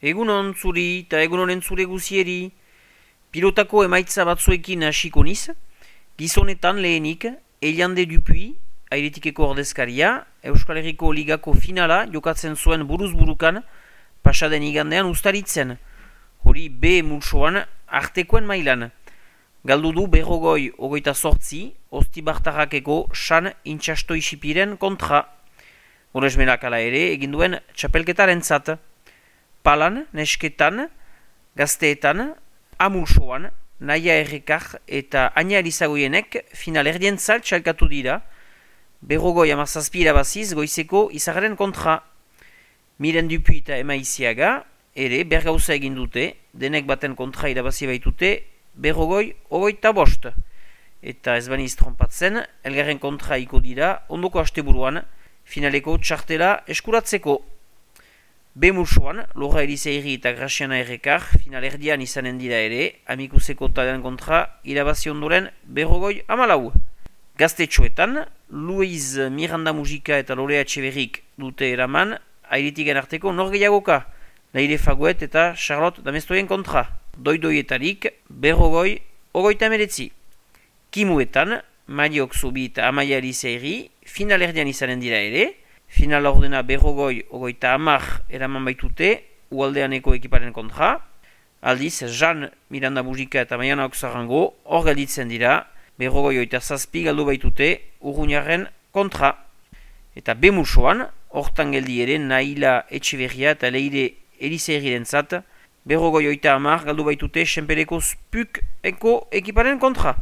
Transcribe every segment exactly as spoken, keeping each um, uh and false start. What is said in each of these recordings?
Egunon zuri eta egunonen zure guzieri. Pilotako emaitza batzuekin hasiko niz. Gizonetan lehenik, Eliande Dupuy, airetikeko ordezkaria, Euskal Herriko Ligako finala jokatzen zuen buruz-burukan, pasaden igandean ustaritzen. Hori B multsoan artekoen mailan. Galdu du berrogoi ogoita sortzi, Ostibartarrakeko san intxasto isipiren kontra. Horesmenak ala ere eginduen txapelketaren zat. Palan, nesketan, gazteetan, amulsoan, Naia Errekar eta Aina Elizagoienek final erdientzat txalkatu dira, berrogoi amazazpi irabaziz goizeko izagaren kontra. Miren Dupuy eta Ema Iziaga ere bergauza egin dute, denek baten kontra irabazi baitute, berrogoi ogoita bost. Eta ez baniz trompatzen, elgarren kontra iko dira, ondoko asteburuan, finaleko txartela eskuratzeko. B-mulsoan, Lora Elizeiri eta Graziana Errekar final erdian izanen dira ere, amikuseko talen kontra irabazi ondoren berrogoi amalau. Gaztetxoetan, Luiz Miranda Mujika eta Lorea Etxeberrik dute eraman, airitiken arteko norgeiagoka, Leire Faguet eta Charlotte Damestoien kontra. Doidoietarik berrogoi ogoita emeretzi. Kimuetan, Mariok Zubi eta Amaia Elizeiri final erdian izanen dira ere, final ordena berrogoi ogoita amar eraman baitute ualdeaneko ekiparen kontra. Aldiz, Jean Miranda Mujika eta Maiana Oksarango hor gelditzen dira, berrogoi oita zazpi galdu baitute Urruñaren kontra. Eta B-mulsoan, hortan geldi ere Naila Etxeberria eta Leire Elizeiriren zat, berrogoi oita amar galdu baitute Senpereko Spuk eko ekiparen kontra.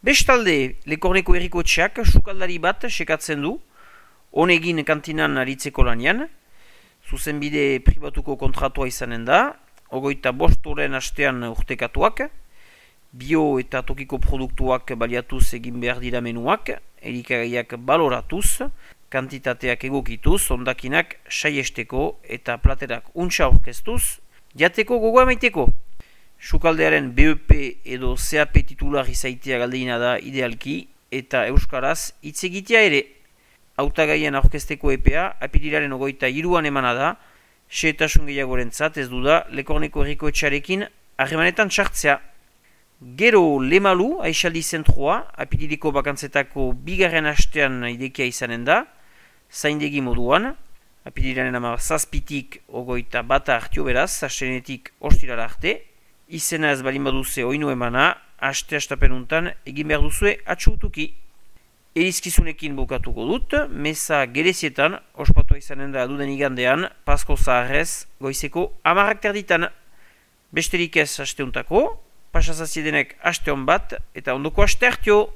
Bestalde, Lekorneko Herriko Etxeak sukaldari bat sekatzen du, honegin kantinan aritzeko lanian, zuzenbide pribatuko kontratua izanen da, ogoita bostoren astean urtekatuak, bio eta tokiko produktuak baliatuz egin behar dira menuak, elikagaiak baloratuz, kantitateak egokituz, ondakinak saiesteko eta platerak untsa orkestuz, jateko gogoa maiteko. Sukaldearen B E P edo C A P titular izaitea galdeina da idealki eta euskaraz hitz egitea ere. Hautagaien aurkezteko epea apirilaren ogoita hiruan emana da, xehetasun gehiagorentzat ez du da Lekorneko Herriko Etxearekin harremanetan txartzea. Gero Lemalu, Aixaldi zentroa, apiriliko bakantzetako bigarren astean idekia izanen da, zaindegi moduan, apirilaren ama zazpitik ogoita bata hartio beraz, astenetik ostirara arte, izena ez balin baduze oinu emana, aste astapenuntan egin behar duzue atxutuki. Erizkizunekin bukatuko dut, meza gerezietan, ospatua izanen da duden igandean, Pasko Zaharrez, goizeko amarrak terditan. Besterik ez asteuntako, pasazaziedenek aste hon bat, eta ondoko aste hartio.